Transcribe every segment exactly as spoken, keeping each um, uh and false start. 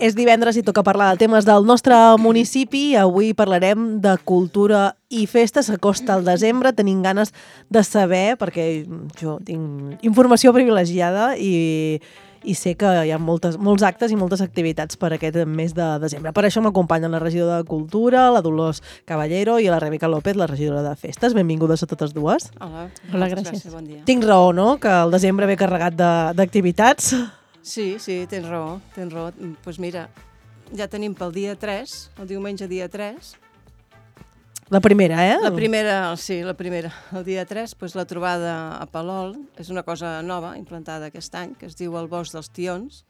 És divendres i toca parlar de temes del nostre municipi. Avui parlarem de cultura i festes. S'acosta el desembre, tenim ganes de saber, perquè jo tinc informació privilegiada i, i sé que hi ha moltes, molts actes i moltes activitats per aquest mes de desembre. Per això m'acompanyen la regidora de Cultura, la Dolors Caballero, i la Rebeca López, la regidora de Festes. Benvingudes a totes dues. Hola, Hola, gràcies. gràcies. Bon dia. Tinc raó, no?, que el desembre ve carregat d'activitats. Sí, sí, tens raó, tens raó. Doncs pues mira, ja tenim pel dia tres, el diumenge dia tres. La primera, eh? La primera, sí, la primera. El dia tres, pues, la trobada a Palol. És una cosa nova, implantada aquest any, que es diu el Bosc dels Tions.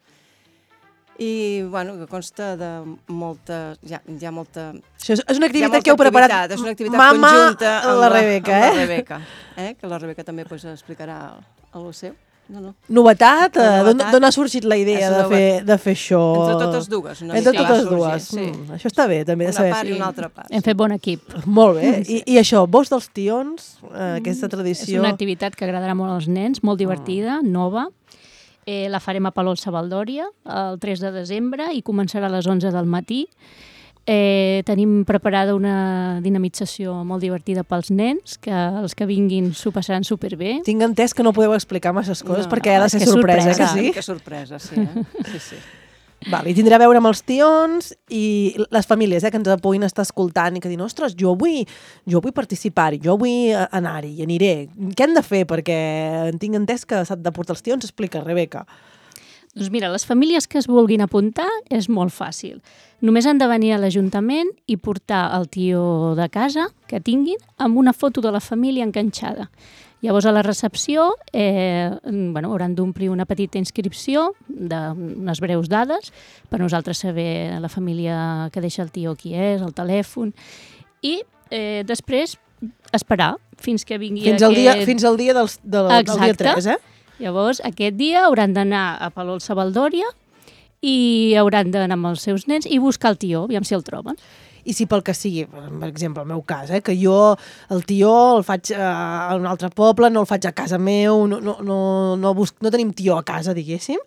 I, bueno, que consta de molta... Ja, hi ha molta... Això és una activitat molta que heu preparat activitat, és una activitat mama conjunta amb la Rebeca, amb eh? la Rebeca, eh? Que la Rebeca també pues, explicarà el seu. No, no. Novetat? La novetat. D'on ha sorgit la idea És de fer, de fer això? Entre totes dues. Una Entre mica totes va sorgir, dues. sí. Mm, això està bé, també, de Una saber. part i Sí. una altra part. Hem fet bon equip. Molt bé. I, I això, Bosc dels Tions, eh, aquesta tradició... És una activitat que agradarà molt als nens, molt divertida, nova. Eh, la farem a Palol Savaldòria el tres de desembre i començarà a les onze del matí. Eh, tenim preparada una dinamització molt divertida pels nens, que els que vinguin s'ho passaran superbé. Tinc entès que no podeu explicar masses coses No, perquè ha de és ser que és sorpresa, sorpresa. que sí? Que sorpresa, sí. Eh? sí, sí. Val, i tindrà a veure amb els tions i les famílies, eh, que ens puguin estar escoltant i que diuen, ostres, jo vull, jo vull participar-hi, jo vull anar-hi, i aniré. Què han de fer? Perquè tinc entès que s'han de portar els tions. Explica, Rebeca. Doncs mira, les famílies que es vulguin apuntar és molt fàcil. Només han de venir a l'Ajuntament i portar el tió de casa que tinguin amb una foto de la família enganxada. Llavors, a la recepció eh, bueno, hauran d'omplir una petita inscripció d'unes breus dades per nosaltres saber la família que deixa el tió qui és, el telèfon, i eh, després esperar fins que vingui Fins al aquest... dia, fins al dia, dels, del, del dia tres, eh? Llavors, aquest dia hauran d'anar a Palol Savaldòria i hauran d'anar amb els seus nens i buscar el tió, aviam si el troben. I si pel que sigui, per exemple, el meu cas, eh, que jo el tió el faig a un altre poble, no el faig a casa meu, no, no, no, no, busc, no tenim tió a casa, diguéssim,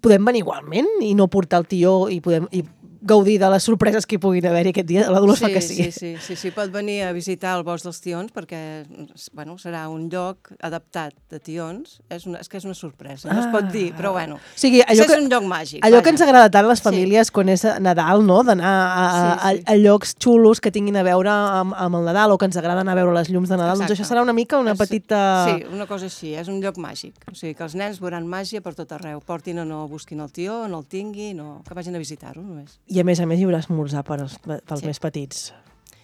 podem venir igualment i no portar el tió i podem i gaudir de les sorpreses que hi puguin haver-hi aquest dia. La Dolors sí, fa que sí. Sí, sí, sí, sí, pot venir a visitar el Bosc dels Tions perquè bueno, serà un lloc adaptat de tions. És, una, és que és una sorpresa, no ah. es pot dir, però bueno, o sigui, allò és que, un lloc màgic. Allò vaja. que ens agrada tant a les famílies sí. quan és Nadal, no? D'anar a, a, Sí, sí. a, a llocs xulos que tinguin a veure amb, amb el Nadal o que ens agrada anar a veure les llums de Nadal. Exacte. Doncs això serà una mica una És, petita... Sí, una cosa així, és un lloc màgic. O sigui, que els nens veuran màgia per tot arreu. Portin o no, busquin el tió, no el tinguin, o que vagin a visitar-ho només. I a més a més hi haurà esmorzar per als, pels Sí. més petits.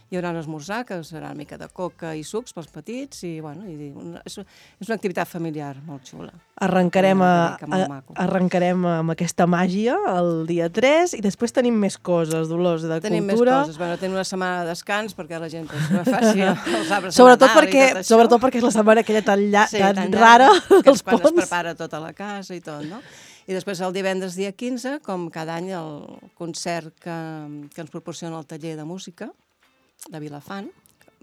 Hi haurà un esmorzar, que serà una mica de coca i sucs pels petits, i bueno, i una, és, és una activitat familiar molt xula. Arrencarem, a, Una mica a, molt maco. arrencarem amb aquesta màgia el dia tres i després tenim més coses, Dolors, de Tenim cultura. més coses. Bueno, tenim una setmana de descans perquè la gent pues, no faci els arbres Sobretot de Nadal perquè, i tot això. sobretot perquè és la setmana aquella tan, lla, Sí, tan, tan rara que dels és quan ponts. es prepara tota la casa i tot, no? I després el divendres dia quinze, com cada any, el concert que, que ens proporciona el taller de música de Vilafant,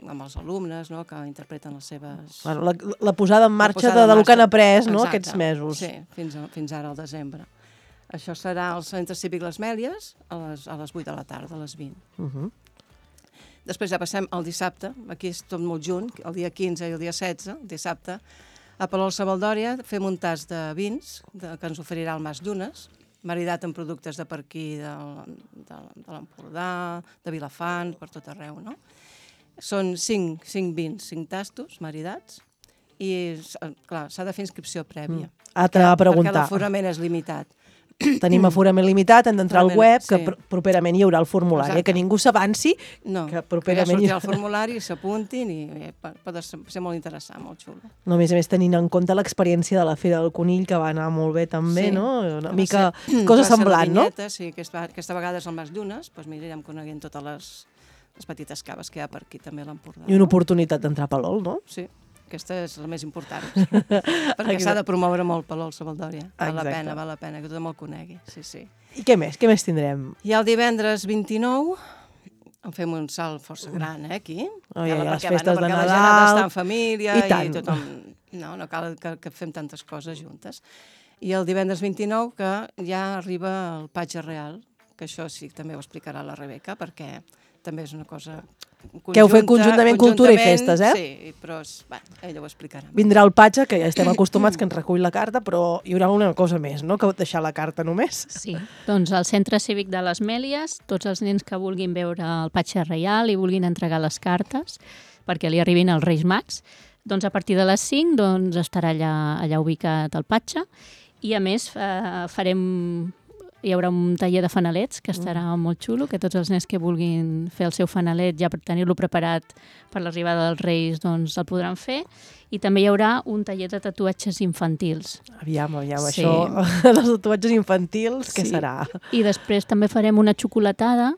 amb els alumnes, no?, que interpreten les seves... Bueno, la, la posada en marxa posada de, en de lo que han marxa. après, no?, Exacte. aquests mesos. Sí, fins, a, fins ara al desembre. Això serà al Centre Cívic Les Mèlies a les, a les vuit de la tarda, a les vint. Uh -huh. Després ja passem al dissabte, aquí és tot molt junt, el dia quinze i el dia setze, el dissabte, a Palol Savaldòria fem un tas de vins de, que ens oferirà el Mas Llunes, maridat amb productes de per aquí, de, de, de l'Empordà, de Vilafant, per tot arreu, no? Són cinc, cinc vins, cinc tastos maridats, i, clar, s'ha de fer inscripció prèvia. Mm. Altra a preguntar. Perquè l'aforament és limitat. Tenim aforament limitat, hem d'entrar al web, que sí. pr properament hi haurà el formulari, eh? Exacte. Que ningú s'avanci, No, que que ja properament... sortirà el formulari, s'apuntin i eh, pot ser molt interessant, molt xulo. No, a més a més, tenint en compte l'experiència de la Fira del Conill, que va anar molt bé també, Sí. no? Una Va mica ser- cosa va ser la semblant, no? vinyeta, Sí, aquesta, aquesta vegada és el Mas Llunes, doncs mira, anirem coneguent totes les, les petites caves que hi ha per aquí també a l'Empordà. I una oportunitat d'entrar a Palol, no? Sí, aquesta és la més important, perquè s'ha de promoure molt Palol Savaldòria. Val la Exacte. pena, val la pena, que tothom el conegui, sí, sí. I què més? Què més tindrem? I el divendres vint-i-nou en fem un salt força gran, eh, aquí. Oh, ja, ja, les perquè, festes de perquè Nadal. la gent ha d'estar en família I tant. i tothom... No, no cal que, que fem tantes coses juntes. I el divendres vint-i-nou que ja arriba el Patge Real que això sí, també ho explicarà la Rebeca, perquè també és una cosa conjunta. Que heu fet conjuntament cultura i festes, eh? Sí, però és, bé, ella ho explicarà. Vindrà el Patxa, que ja estem acostumats que ens recull la carta, però hi haurà una cosa més, no?, que deixar la carta només. Sí, doncs al Centre Cívic de les Mèlies, tots els nens que vulguin veure el Patxa Reial i vulguin entregar les cartes perquè li arribin els Reis Mags, doncs a partir de les cinc doncs, estarà allà, allà ubicat el Patxa i a més eh, farem... Hi haurà un taller de fanalets que estarà mm. molt xulo, que tots els nens que vulguin fer el seu fanalet ja per tenir-lo preparat per l'arribada dels Reis doncs el podran fer. I també hi haurà un taller de tatuatges infantils. Aviam, aviam, Sí. això dels tatuatges infantils, què Sí. serà? I després també farem una xocolatada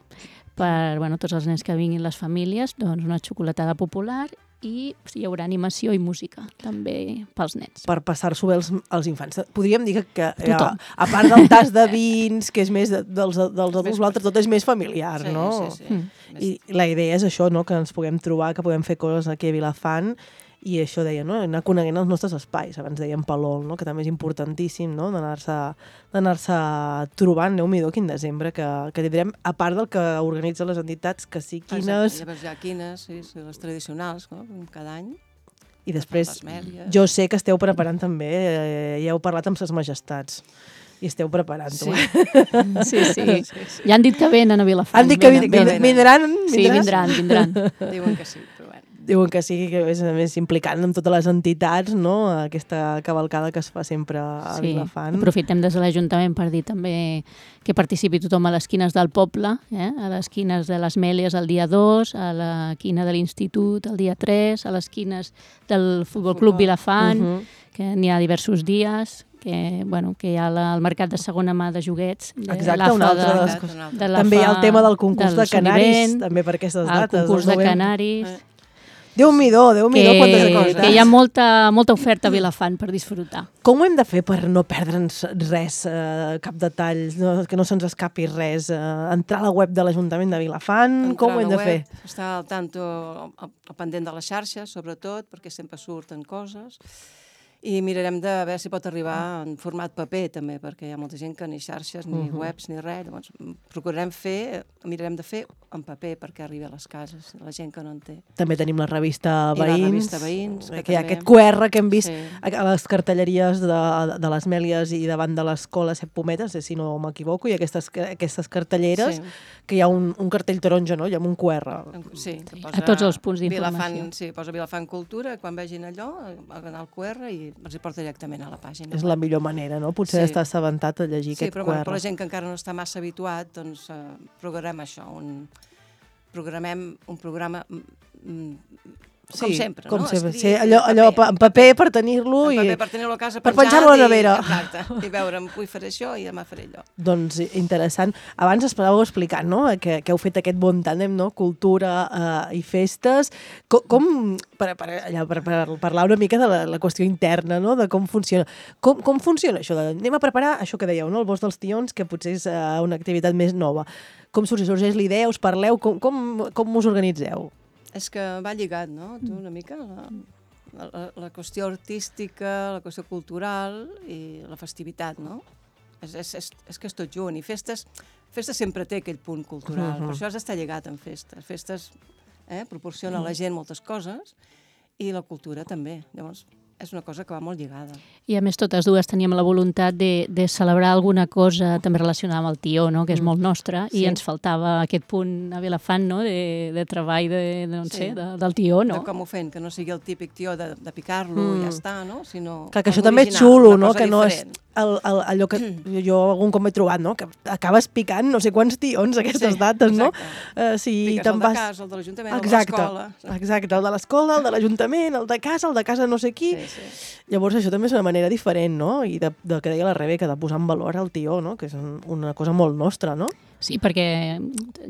per bueno, tots els nens que vinguin les famílies, doncs una xocolatada popular i hi haurà animació i música també pels nens. Per passar-s'ho bé als, als infants. Podríem dir que, que Tothom. a, a part del tas de vins, que és més de, dels, dels adults, l'altre tot és més familiar, Sí, no? sí, sí. Mm. I la idea és això, no?, que ens puguem trobar, que puguem fer coses aquí a Vilafant, i això deia, no?, anar coneguent els nostres espais. Abans dèiem Palol, no?, que també és importantíssim, no?, d'anar-se d'anar-se trobant, Déu-m'hi-do, quin desembre, que, que tindrem, a part del que organitzen les entitats, que sí, quines... Exacte, llavors hi ha quines, sí, sí, les tradicionals, no?, cada any. I després, Les Mèlies. jo sé que esteu preparant també, eh, ja heu parlat amb ses majestats, i esteu preparant-ho. Sí. Sí, sí, sí. Ja han dit que venen a Vilafant. Han dit que Venen, vindran, venen. vindran, Sí, vindran, vindran. Diuen que sí, però bueno. Diuen que sí, que és a més implicant amb totes les entitats, no?, aquesta cavalcada que es fa sempre a Sí, Vilafant. aprofitem des de l'Ajuntament per dir també que participi tothom a les quines del poble, eh? A les quines de les Mèlies el dia dos, a la quina de l'Institut el dia tres, a les quines del Futbol Club Vilafant, Uh -huh. que n'hi ha diversos dies, que, bueno, que hi ha la, el mercat de segona mà de joguets. De Exacte, l'A F A una altra de les de, coses. Un altre. de l'A F A També hi ha el tema del concurs de del canaris, Solivent, també per aquestes el dates. concurs del de novembre. canaris, Eh. Déu-m'hi-do, Déu-m'hi-do, que, quantes coses. que hi ha molta, molta oferta a Vilafant per disfrutar. Com ho hem de fer per no perdre'ns res, eh, cap detall, no, que no se'ns escapi res? Eh, entrar a la web de l'Ajuntament de Vilafant, Entrar com a ho hem la de web, fer? Estar al tanto, al, al pendent de les xarxes, sobretot, perquè sempre surten coses. I mirarem de veure si pot arribar en format paper, també, perquè hi ha molta gent que ni xarxes, ni Mhm. webs, ni res. Llavors, procurarem fer, mirarem de fer en paper perquè arribi a les cases, la gent que no en té. També tenim la revista I la Veïns, revista Veïns, que que hi ha també- aquest Q R que hem vist Sí. a a les cartelleries de, de les Mèlies i davant de l'escola Set Pometes, eh, si no m'equivoco, i aquestes, aquestes cartelleres, Sí. que hi ha un, un cartell taronja, no?, i amb un Q R. Sí, que A tots els punts Vilafant, d'informació. sí, posa Vilafant Cultura, quan vegin allò, aganar el Q R i els hi porta directament a la pàgina. És la millor manera, no?, potser Sí. d'estar assabentat a llegir Sí, aquest però Q bueno, R. per la gent que encara no està massa habituat, doncs eh, programem això, un, programem un programa mm, mm, com sempre, com no? sempre. Escrit, Sí, allò, en allò paper, en paper per tenir-lo en i... paper per tenir-lo a casa per penjat penjar-lo a la i- nevera. Exacte, i veure, avui faré això i demà faré allò. Doncs interessant. Abans esperàveu explicar, no?, que, que heu fet aquest bon tàndem, no?, cultura eh, i festes. Com, com per, per, allà, per, per parlar una mica de la, la qüestió interna, no?, de com funciona. Com, com funciona això? De, anem a preparar això que dèieu, no?, el Bosc dels Tions, que potser és eh, una activitat més nova. Com sorgeix, sorgeix l'idea? Us parleu? Com, com, com us organitzeu? És que va lligat, no?, tu una mica, la, la, la qüestió artística, la qüestió cultural i la festivitat, no? És, és, és, és que és tot junt. I festes, festes sempre té aquell punt cultural, Mhm. per això has d'estar lligat amb festes. Festes eh, proporciona a la gent moltes coses i la cultura també. Llavors, és una cosa que va molt lligada. I a més totes dues teníem la voluntat de, de celebrar alguna cosa també relacionada amb el tió, no? Que és Mm. molt nostre, Sí. i ens faltava aquest punt a Vilafant, no? de, de treball de, de, no Sí. sé, de, del tió, No? no? De com ho fent, que no sigui el típic tió de, de picar-lo Mm. i ja està, no? Sinó Clar, que això algo també és original, xulo, una no?, cosa que no és diferent. el, el, allò que jo algun cop he trobat, no?, que acabes picant no sé quants tions aquestes Sí, dates, no? exacte. Uh, si Piques te'n el de vas... casa, el de l'Ajuntament, el de Exacte, l'escola. exacte, el de l'escola, el de l'Ajuntament, el de casa, el de casa no sé qui. Sí, sí. Llavors això també és una manera diferent, no?, i de, de que deia la Rebeca, de posar en valor el tió, no?, que és un, una cosa molt nostra, no? Sí, perquè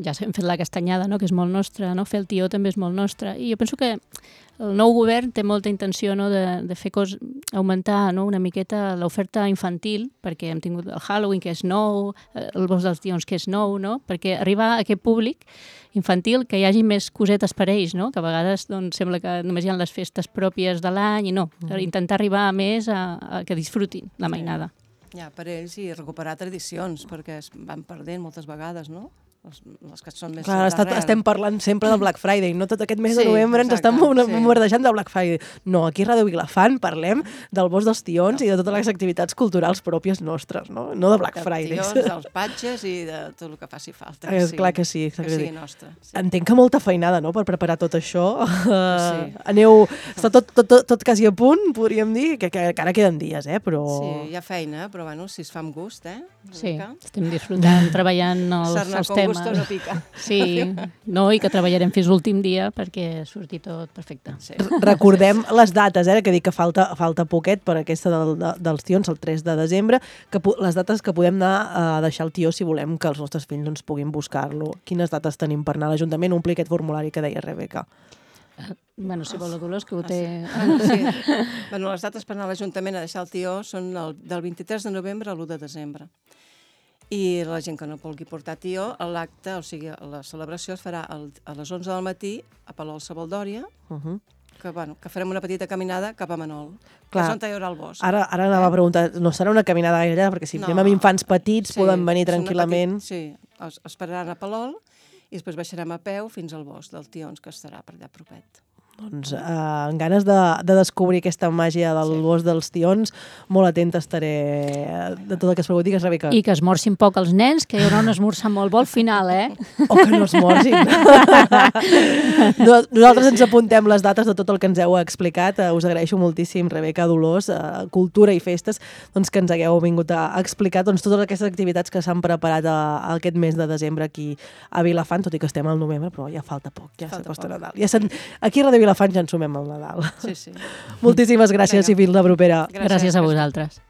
ja hem fet la castanyada, no? Que és molt nostra, no? Fer el tió també és molt nostre. I jo penso que el nou govern té molta intenció, no? de, de fer cos, augmentar, no? una miqueta l'oferta infantil, perquè hem tingut el Halloween, que és nou, el Bosc dels Tions, que és nou, no? Perquè arribar a aquest públic infantil, que hi hagi més cosetes per ells, no? Que a vegades doncs, sembla que només hi ha les festes pròpies de l'any i no, Mm. intentar arribar a més a, a que disfrutin la mainada. Ja, per ells, i recuperar tradicions, perquè es van perdent moltes vegades, no? Les, les que són més Clar, estat, d'arrel. estem parlant sempre del Black Friday, no tot aquest mes de Sí, novembre ens exacte, estem sí. bombardejant del Black Friday. No, aquí a Ràdio Vilafant parlem del Bosc dels Tions i de totes les activitats culturals pròpies nostres, no? No de Black Friday. Tions, dels patges i de tot el que faci falta. És clar que sí. Que sigui nostre. Sí. Entenc que molta feinada, no?, per preparar tot això. Sí. Aneu... Està tot, tot, tot, tot quasi a punt, podríem dir, que, que, que ara queden dies, eh? Però... Sí, hi ha feina, però bueno, si es fa amb gust, eh? Sí, estem disfrutant, treballant els, Sarna els con temes. gusto no pica. Sí, no, i que treballarem fins l'últim dia perquè surti tot perfecte. Sí. Recordem les dates, eh, que dic que falta, falta poquet per aquesta del, de, dels tions, el tres de desembre, que les dates que podem anar a deixar el tió si volem que els nostres fills doncs, puguin buscar-lo. Quines dates tenim per anar a l'Ajuntament? Ompli aquest formulari que deia Rebeca. Bueno, si vol la Dolors, que ho té... Ah, sí. Bueno, sí. Bueno, les dates per anar a l'Ajuntament a deixar el tió són el, del vint-i-tres de novembre a l'u de desembre. I la gent que no vulgui portar tió, l'acte, o sigui, la celebració es farà el, a les onze del matí a Palau Sabaldòria, Uh -huh. que, bueno, que farem una petita caminada cap a Manol, Clar. que és on hi haurà el bosc. Ara, ara anava a preguntar, no serà una caminada gaire llarga, perquè si No. anem amb infants petits Sí, poden venir és una tranquil·lament. Petit, sí, es, es pararan a Palol i després baixarem a peu fins al bosc del Tions, que estarà per allà propet. Doncs eh, amb ganes de, de descobrir aquesta màgia del Sí. Bosc dels Tions, molt atenta estaré de tot el que es pregunti, que és Rebeca. I que esmorcin poc els nens, que hi haurà un esmorzar molt bo al final, eh? O que no es morgin. No- Nosaltres ens apuntem les dates de tot el que ens heu explicat. Eh, Us agraeixo moltíssim, Rebeca, Dolors, eh, Cultura i Festes, doncs, que ens hagueu vingut a explicar doncs, totes aquestes activitats que s'han preparat a, a aquest mes de desembre aquí a Vilafant, tot i que estem al novembre, però ja falta poc, ja Falta s'acosta poc. Nadal. Ja se'n- aquí a Ràdio Vilafant ja ens sumem al Nadal. Sí, sí. Moltíssimes gràcies Vinga. i fins la propera. Gràcies a vosaltres.